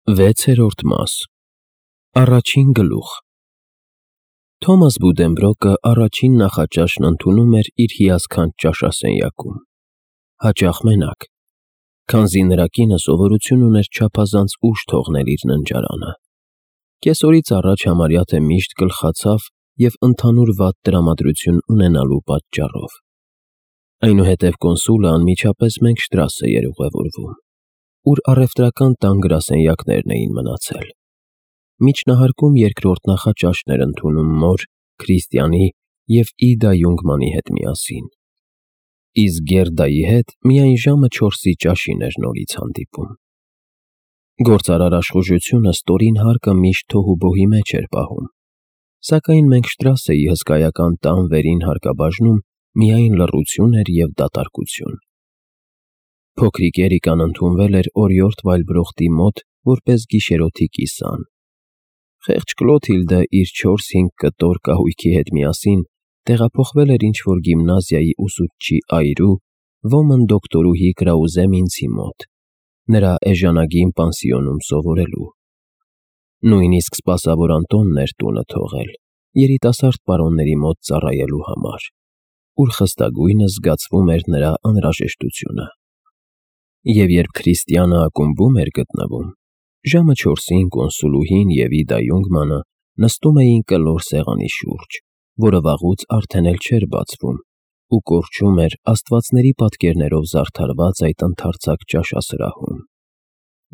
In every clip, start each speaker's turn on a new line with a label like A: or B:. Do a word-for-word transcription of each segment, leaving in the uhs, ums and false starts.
A: Վեցերորդ մաս Առաջին գլուխ Թոմաս Բուդենբրոկը առաջին նախաճաշն ընդունում էր իր հիասքանչ ճաշասենյակում, հաճախ մենակ, քանզի նրա կինը սովորություն ուներ չափազանց ուշ թողնել իր ննջարանը։ Կեսօրից առաջ համարյա թե միշտ գլխացավ և ընդհանուր վատ տրամադրություն ունենալու պատճառով։ Այնուհետև կոնսուլը անմիջապես Մենգշտրասե էր ուղևորվում, ուր առևտրական տան գրասենյակներն էին մնացել։ Միջնահարկում երկրորդ նախաճաշն էր ընդունում մոր, Քրիստիանի և Իդա Յունգմանի հետ միասին, իսկ Գերդայի հետ միայն ժամը չորսի ճաշին էր նորից հանդիպում։ Գործարար աշխուժությունը ստորին հարկը միշտ թոհուբոհի մեջ էր պահում, սակայն Մենգշտրասեի հսկայական տան վերին հարկաբաժնում միայն լռություն էր և դատարկություն։ Փոքրիկ Էրիկան ընդունվել էր օրիորդ Վայլբրոխտի մոտ որպես գիշերօթիկ կիսան։ Խեղճ Կլոթիլդը իր չորս֊հինգ կտոր կահույքի հետ միասին տեղափոխվել էր ինչ-որ գիմնազիայի ուսուցչի այրու, ոմն դոկտորուհի Կրաուզե Մինցի մոտ, նրա էժանագին պանսիոնում սովորելու։ Նույնիսկ սպասավոր Անտոնն էր տունը թողել երիտասարդ պարոնների մոտ ծառայելու համար, ուր խստագույնս զգացվում էր նրա անհրաժեշտությունը։ Եվ երբ Քրիստիանը ակումբում էր գտնվում, ժամը չորսին կոնսուլուհին և Իդա Յունգմանը նստում էին կլոր սեղանի շուրջ, որը վաղուց արդեն էլ չէր բացվում, ու կորչում էր աստվածների պատկերներով զարդարված այդ ընդարձակ ճաշասրահում։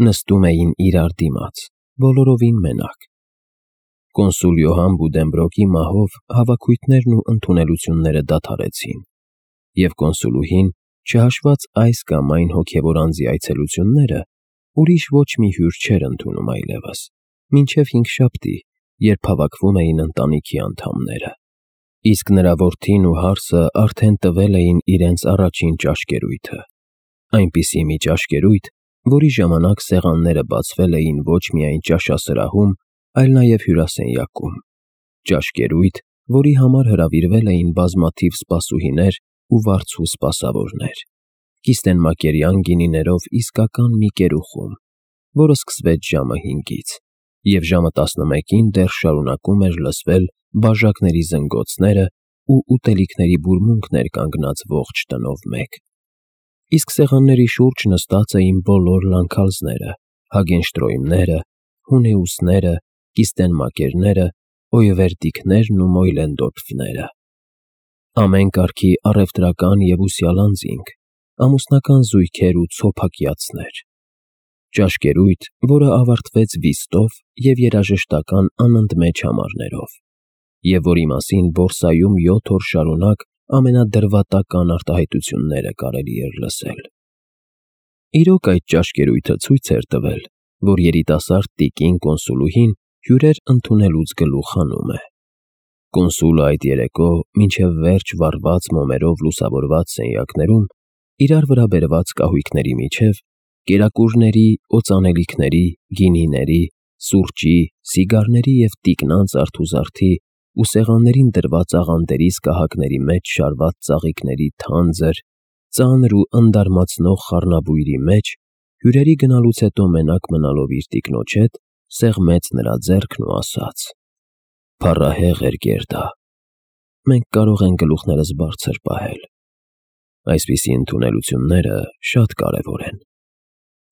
A: Նստում էին իրար դիմաց, բոլորովին մենակ։ Կոնսուլ Յոհան Բուդենբրոկի մահով հավաքույթներն ու ընդունելությունները դադարեցին, և կոնսուլուհին, չհաշված այս կամ այն հոգևոր անձի այցելությունները, ուրիշ ոչ մի հյուր չէր ընդունում այլևս, մինչև հինգշաբթի, երբ հավաքվում էին ընտանիքի անդամները, իսկ նրա որդին ու հարսը արդեն տվել էին իրենց առաջին ճաշկերույթը, այնպիսի մի ճաշկերույթ, որի ժամանակ սեղանները բացվել էին ոչ միայն ճաշասրահում, այլ նաև հյուրասենյակում, ճաշկերույթ, որի համար հրավիրվել էին բազմաթիվ սպասուհիներ ու վարձու սպասավորներ, կիստենմակերյան գինիներով իսկական մի կերուխում, որը սկսվեց ժամը հինգից, և ժամը տասնմեկին դեռ շարունակում էր լսվել բաժակների զնգոցները ու ուտելիքների բուրմունքն էր կանգնած ողջ տնով մեկ։ Իսկ սեղանների շուրջ նստած էին բոլոր Լանքհալզները, Հագենշտրոյմները, Հունեուսները, կիստենմակերները, Օյվերտիկներն ու Մոյլենդորֆները։ Ամեն կարգի առևտրական և ուսյալ անձինք, ամուսնական զույգեր ու ցոփակյացներ։ Ճաշկերույթ, որը ավարտվեց վիստով և երաժշտական անընդմեջ համարներով, և որի մասին բորսայում յոթ օր շարունակ ամենադրվատական արտահայտությունները կարելի էր լսել։ Իրոք այդ ճաշկերույթը ցույց էր տվել, որ երիտասարդ տիկին կոնսուլուհին հյուրեր ընդունելուց գլուխ հանում է։ Կոնսուլը այդ երեկո մինչև վերջ վառված մոմերով լուսավորված սենյակներում իրար վրա բերված կահույքների միջև կերակուրների, օծանելիքների, գինիների, սուրճի, սիգարների և տիկնանց արթուզարդի ու սեղաններին դրված աղանդերի սկահակների մեջ շարված ծաղիկների թանձր, ծանր ու ընդարմացնող խառնաբույրի մեջ հյուրերի գնալուց հետո մենակ մնալով իր տիկնոջ հետ սեղմեց նրա ձեռքն ու ասաց. «Փառահեղ էր Գերդա, մենք կարող ենք գլուխներս բարձր պահել։ Այսպիսի ընդունելությունները շատ կարևոր են։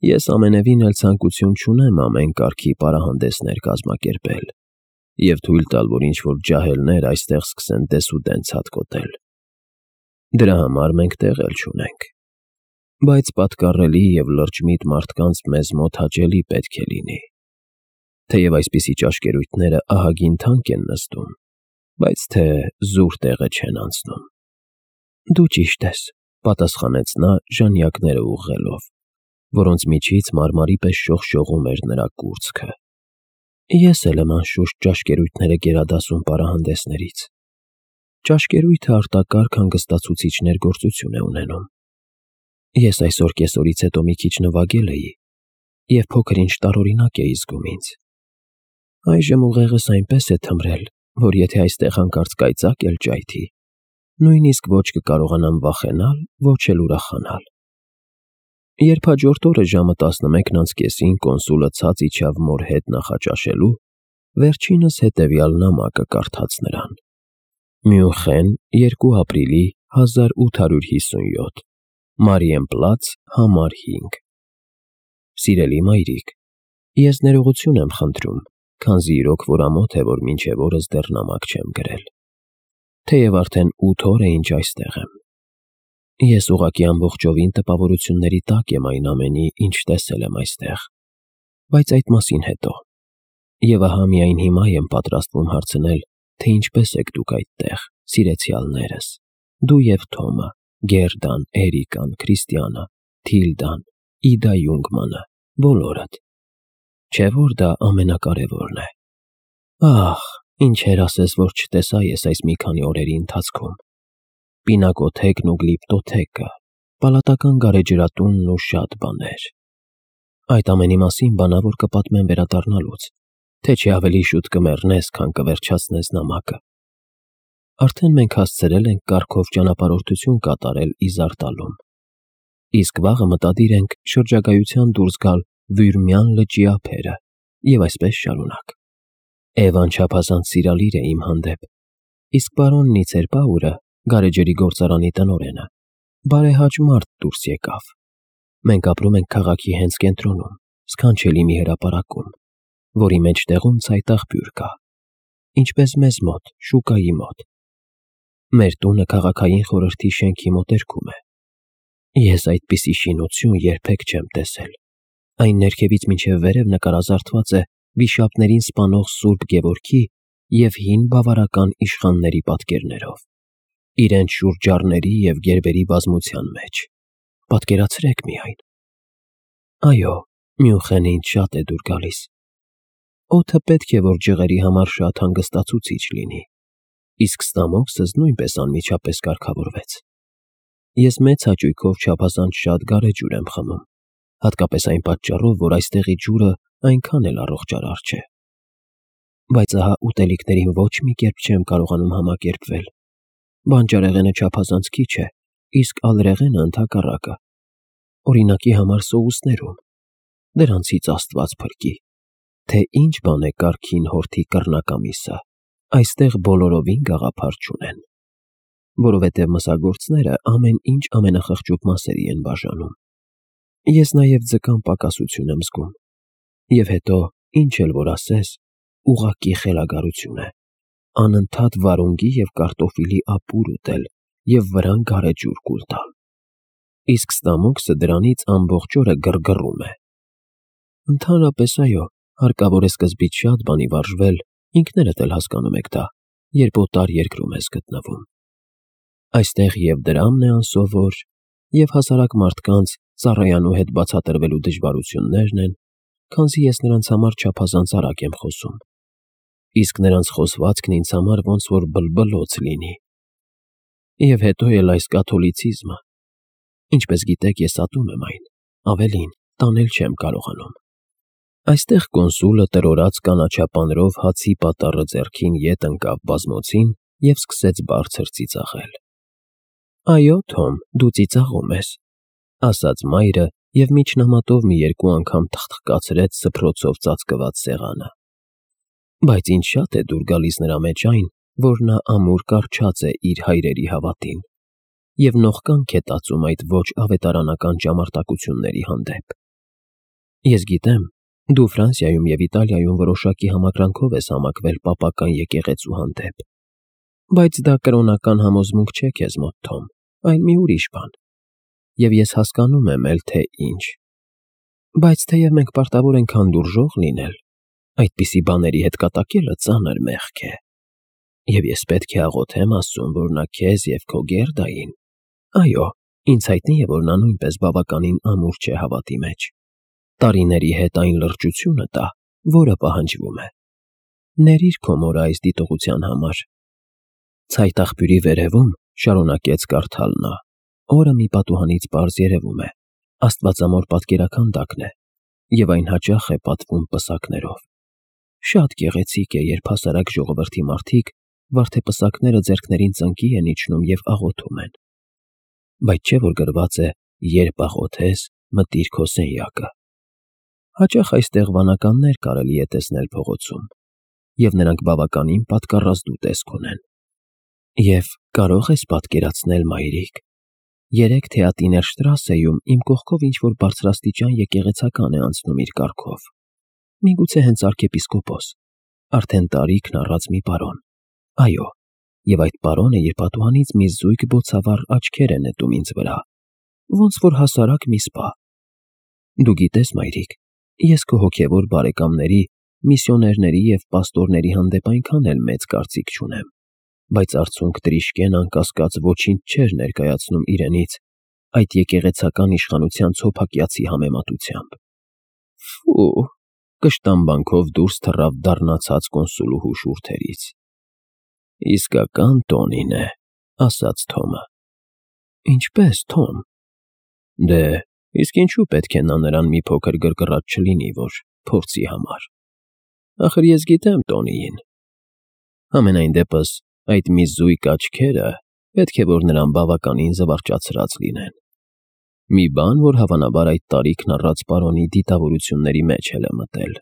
A: Ես ամենևին էլ ցանկություն չունեմ ամեն կարգի պարահանդեսներ կազմակերպել և թույլ տալ, որ ինչ-որ ջահելներ այստեղ սկսեն դեսուդեն ցատկոտել։ Դրա համար մենք տեղ էլ չունենք, բայց պատկառելի և լրջմիտ մարդկանց մեզ մոտ հաճելի պետք է լինի։ Թեև այսպիսի ճաշկերույթները ահագին թանկ են նստում, բայց թե զուր տեղը չեն անցնում»։ «Դու ճիշտ ես», պատասխանեց նա ժանյակները ուղղելով, որոնց միջից մարմարի պես շողշողում էր նրա կուրծքը։ «Ես էլ եմ անշուշտ ճաշկերույթները գերադասում պարահանդեսներից։ Ճաշկերույթը արտակարգ հանգստացուցիչ ներգործություն է ունենում։ Ես այսօր կեսօրից հետո մի քիչ նվագել էի և փոքր-ինչ տարօրինակ էի զգում ինձ։ Այժմ ուղեղս այնպես է թմրել, որ եթե այստեղ հանկարծ կայծակ էլ ճայթի, նույնիսկ ոչ կկարողանամ վախենալ, ոչ էլ ուրախանալ։ Երբ հաջորդ օրը ժամը տասնմեկն անց կեսին կոնսուլը ցած իջավ մոր հետ նախաճաշելու, վերջինս հետևյալ նամակը կարդաց նրան. Մյունխեն, երկու ապրիլի հազար ութ հարյուր հիսունյոթ, Մարիենպլաց, համար հինգ։ Սիրելի մայրիկ, ես ներողություն եմ խնդրում, քանզի իրոք որ ամոթ է, որ մինչև օրս դեռ նամակ չեմ գրել։ Թեև արդեն ութ օր է ինչ այստեղ եմ։ Ես ուղղակի ամբողջովին տպավորությունների տակ եմ այն ամենի, ինչ տեսել եմ այստեղ, բայց այդ մասին հետո։ Եվ ահա միայն հիմա եմ պատրաստվում հարցնել, թե ինչպես եք դուք այդտեղ, սիրեցյալներս, դու և Թոմը, Գերդան, Էրիկան, Քրիստիանը, Թիլդան, Իդա Յունգմանը, բոլորդ։ Չէ՞ որ դա ամենակարևորն է։ Ահ, ինչեր ասես, որ չտեսա ես այս մի քանի օրերի ընթացքում։ Պինակոթեկն ու գլիպտոթեկը, պալատական գարեջրատունն ու շատ բաներ։ Այդ ամենի մասին բանավոր կպատմեմ վերադառնալուց, թե չի ավելի շուտ կմեռնես, քան կվերջացնես նամակը։ Արդեն մենք հասցրել ենք կարգով ճանապարհորդություն կատարել Իզարտալում, իսկ վաղը մտադիր ենք շրջագայության դուրս գալ Վյուրմյան լճի ափերը և այսպես շարունակ։ Էվան չափազանց սիրալիր է իմ հանդեպ, իսկ պարոն Նիցերպաուրը, գարեջրի գործարանի տնօրենը, բարեհաճ մարդ դուրս եկավ։ Մենք ապրում ենք քաղաքի հենց կենտրոնում, սքանչելի մի հրապարակում, որի մեջտեղում ցայտ աղբյուր կա, ինչպես մեզ մոտ, շուկայի մոտ։ Մեր տունը քաղաքային խորհրդի շենքի մոտերքում է։ Ես այդպիսի շինություն երբեք չեմ տեսել։ Այն ներքևից մինչև վերև նկարազարդված է վիշապներին սպանող Սուրբ Գևորգի և հին բավարական իշխանների պատկերներով, իրենց շուրջառների և գերբերի բազմության մեջ։ Պատկերացրեք միայն։ Այո, Մյունխենը ինձ շատ է դուր գալիս։ Օդը պետք է, որ ջղերի համար շատ հանգստացուցիչ լինի, իսկ ստամոքսս նույնպես անմիջապես կարգավորվեց։ Ես մեծ հաճույքով չափազանց շատ գարեջուր եմ խմում, հատկապես այն պատճառով, որ այստեղի ջուրը այնքան էլ առողջարար չէ։ Բայց ահա ուտելիքներին ոչ մի կերպ չեմ կարողանում համակերպվել։ Բանջարեղենը չափազանց քիչ է, իսկ ալրեղենը ընդհակառակը։ Օրինակի համար սոուսներում, դրանցից Աստված փրկի, թե ինչ բան է կարգին հորթի կռնակամիսը, այստեղ բոլորովին գաղափար չունեն, որովհետև մսագործները ամեն ինչ ամենախղճուկ մասերի են բաժանում։ Ես նաև ձկան պակասություն եմ զգում, և հետո, ինչ էլ որ ասես, ուղղակի խելագարություն է, անընդհատ վարունգի և կարտոֆիլի ապուր ուտել և վրան գարեջուր կուլ տալ։ Իսկ ստամոքսը դրանից ամբողջ օրը գրգռում է։ Ընդհանրապես, այո, հարկավոր է սկզբից շատ բանի վարժվել, ինքներդ էլ հասկանում եք դա, երբ օտար երկրում ես գտնվում։ Այստեղ և դրամն է անսովոր, և հասարակ մարդկանց ծառայանու հետ բացատրվելու դժվարություններն են, քանզի ես նրանց համար չափազանց արագ եմ խոսում, իսկ նրանց խոսվածքն ինձ համար ոնց որ բլբլոց լինի։ Եվ հետո էլ այս կաթոլիցիզմը, ինչպես գիտեք, ես ատում եմ այն, ավելին, տանել չեմ կարողանում։ Այստեղ կոնսուլը տրորած կանաչապանրով հացի պատառը ձեռքին ետ ընկավ բազմոցին և սկսեց բարձր ծիծաղել։ Այո, Թոմ, դու ծիծաղում ես, ասաց մայրը և միջնամատով մի երկու անգամ թխթխկացրեց սփռոցով ծածկված սեղանը։ Բայց ինձ շատ է դուր գալիս նրա մեջ այն, որ նա ամուր կառչած է իր հայրերի հավատին և նողկանք է տածում այդ ոչ ավետարանական ճամարտակությունների հանդեպ։ Ես գիտեմ, դու Ֆրանսիայում և Իտալիայում որոշակի համակրանքով ես համակվել պապական եկեղեցու հանդեպ, բայց դա կրոնական համոզմունք չէ քեզ մոտ, Թոմ, այլ մի ուրիշ բան, և ես հասկանում եմ էլ, թե ինչ։ Բայց թեև մենք պարտավոր ենք հանդուրժող լինել, այդպիսի բաների հետ կատակելը ծանր մեղք է։ Եվ ես պետք է աղոթեմ Աստծուն, որ նա քեզ և քո Գերդային, այո, ինձ հայտնի է, որ նա նույնպես բավականին ամուր չէ հավատի մեջ, տարիների հետ այն լրջությունը տա, որը պահանջվում է։ Ներիր քո մորը այս դիտողության համար։ Ցայտ աղբյուրի վերևում, շարունակեց կարդալ նա, օրը մի պատուհանից պարզ երևում է, աստվածամոր պատկերաքանդակն է, և այն հաճախ է պատվում պսակներով։ Շատ գեղեցիկ է, երբ հասարակ ժողովրդի մարդիկ վարդեպսակները ձեռքներին ծնկի են իջնում և աղոթում են։ Բայց չէ՞ որ գրված է. երբ աղոթես, մտիր քո սենյակը։ Հաճախ այստեղ վանականներ կարելի է տեսնել փողոցում, և նրանք բավականին պատկառազդու տեսք ունեն։ Եվ կարո՞ղ ես պատկերացնել, մայրիկ, երեք Թեատիներ Շտրասեում իմ կողքով ինչ-որ բարձրաստիճան եկեղեցական է անցնում իր կառքով, միգուցե հենց արքեպիսկոպոս, արդեն տարիքն առած մի պարոն, այո, և այդ պարոնը երբաթուհանից մի զույգ բոցավառ աչքեր է նետում ինձ վրա, ոնց որ հասարակ մի սպա։ Դու գիտես, մայրիկ, ես քո հոգևոր բարեկամների, միսիոներների և պաստորների հանդեպ այնքան էլ մեծ կարծիք չունեմ, բայց արցունք Տրիշկեն անկասկած ոչինչ չէր ներկայացնում իրենից այդ եկեղեցական իշխանության ցոփակյացի համեմատությամբ։ Ֆու, կշտամբանքով դուրս թռավ դառնացած կոնսուլուհու շուրթերից։ Իսկական տոնին է, ասաց Թոմը։ Ինչպե՞ս, Թոմ։ Դե, իսկ ինչու պետք է նա նրան մի փոքր գրգռած չլինի, որ փորձի համար։ Ախր ես գիտեմ Տոնիին։ Համենայն դեպս այդ մի զույգ աչքերը պետք է որ նրան բավականին զվարճացրած լինեն։ Մի բան, որ հավանաբար այդ տարիքն առած պարոնի դիտավորությունների մեջ էլ է մտել։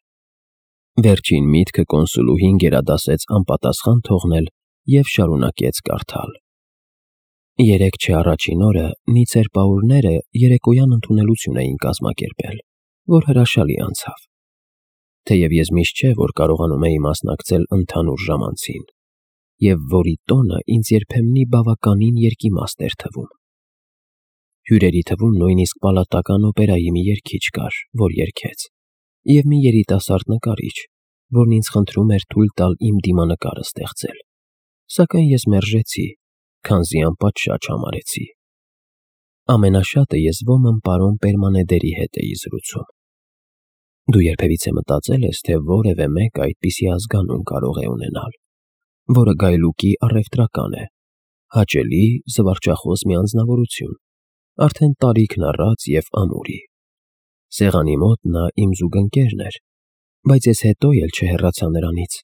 A: Վերջին միտքը կոնսուլուհին գերադասեց անպատասխան թողնել և շարունակեց կարդալ։ Երեկ չէ առաջին օրը Նիցեր պաուրները երեկոյան ընդունելություն էին կազմակերպել, որ հրաշալի անցավ։ Թեև ես միշտ չէ, որ կարողանում էի մասնակցել ընդհանուր ժամանցին, և որի տոնը ինձ երբեմնի բավականին երկիմաստ էր թվում։ Հյուրերի թվում նույնիսկ պալատական օպերայի մի երգիչ կար, որ երգեց, և մի երիտասարդ նկարիչ, որն ինձ խնդրում էր թույլ տալ իմ դիմանկարը ստեղծել, սակայն ես մերժեցի, քանզի անպատշաճ համարեցի։ Ամենաշատը ես ոմն պարոն Պերմանեդերի հետ էի զրուցում։ Դու երբևիցե մտածել ես, թե որևէ մեկը այդպիսի ազգանուն կարող է ունենալ, որը գայլուկի առևտրական է, հաճելի, զվարճախոս մի անձնավորություն, արդեն տարիքն առած և ամուրի։ Սեղանի մոտ նա իմ զուգընկերն էր, բայց ես հետո էլ չհեռացա նրանից,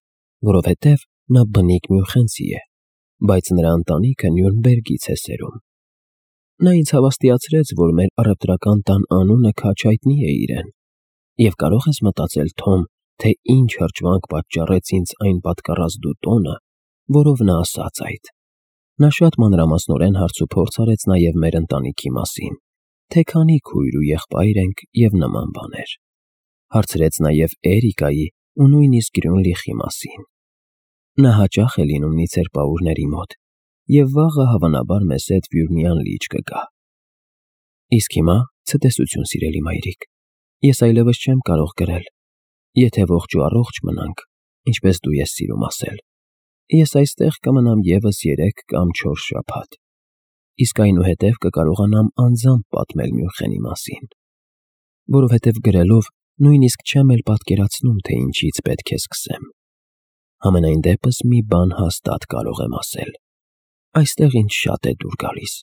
A: որովհետև նա բնիկ Մյունխենցի է, բայց նրա ընտանիքը Նյուրնբերգից է սերում։ Նա ինձ հավաստիացրեց, որ մեր առևտրական տան անունը քաջ հայտնի է իրեն, և կարող ես մտածել, Թոմ, թե ինչ հրճվանք պատճառեց ինձ այն պատկառազդու տոնը, որով նա ասաց այդ։ Նա շատ մանրամասնորեն հարցուփորձ արեց նաև մեր ընտանիքի մասին, թե քանի քույր ու եղբայր ենք և նման բաներ։ Հարցրեց նաև Էրիկայի ու նույնիսկ Գրյունլիխի մասին։ Նա հաճախ է լինում Նիցեր պաուրների մոտ, և վաղը հավանաբար մեզ հետ Վյուրնյան լիճ կգա։ Իսկ հիմա ցտեսություն, սիրելի մայրիկ, ես այլևս չեմ կարող գրել, եթե ողջ ու առողջ մնանք, ինչպես դու ես սիրում ասել, ես այստեղ կմնամ ևս երեք կամ չորս շաբաթ, իսկ այնուհետև կկարողանամ անձամբ պատմել Մյունխենի մասին, որովհետև գրելով նույնիսկ չեմ էլ պատկերացնում, թե ինչից պետք է սկսեմ։ Համենայն դեպս մի բան հաստատ կարող եմ ասել. այստեղ ինձ շատ է դուր գալիս։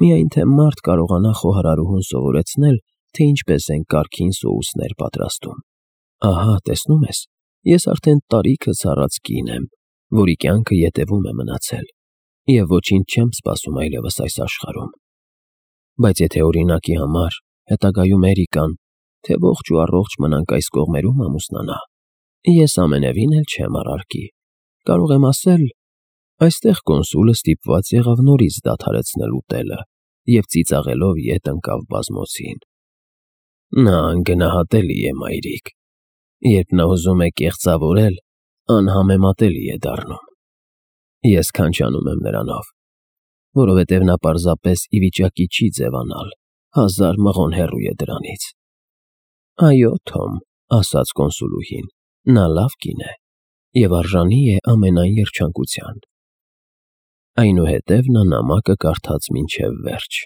A: Միայն թե մարդ կարողանա խոհարարուհուն սովորեցնել, թե ինչպես են կարգին սոուսներ պատրաստում։ Ահա, տեսնում ես, ես արդեն տարիքս առած կին եմ, որի կյանքը ետևում է մնացել, և ոչինչ չեմ սպասում այլևս այս աշխարհում։ Բայց եթե օրինակի համար հետագայում Էրիկան, թե ողջ ու առողջ մնանք այս կողմերում ամուսնանա, ես ամենևին էլ չեմ առարկի, կարող եմ ասել, այստեղ կոնսուլը ստիպված եղավ նորից դադարեցնել ուտելը և ծիծաղելով ետ ընկավ բազմոցին։ Նա անգնահատելի է, մայրիկ, երբ նա ուզում է կեղծավորել, անհամեմատելի է դառնում։ Ես քանչանում եմ նրանով, որովհետև նա պարզապես ի վիճակի չի ձևանալ, հազար մղոն հեռու է դրանից։ Այո, Թոմ, ասաց կոնսուլուհին, նա լավ կին է և արժանի է ամենայն երջանկության։ Այնուհետև նա նամակը կարդաց մինչև վերջ։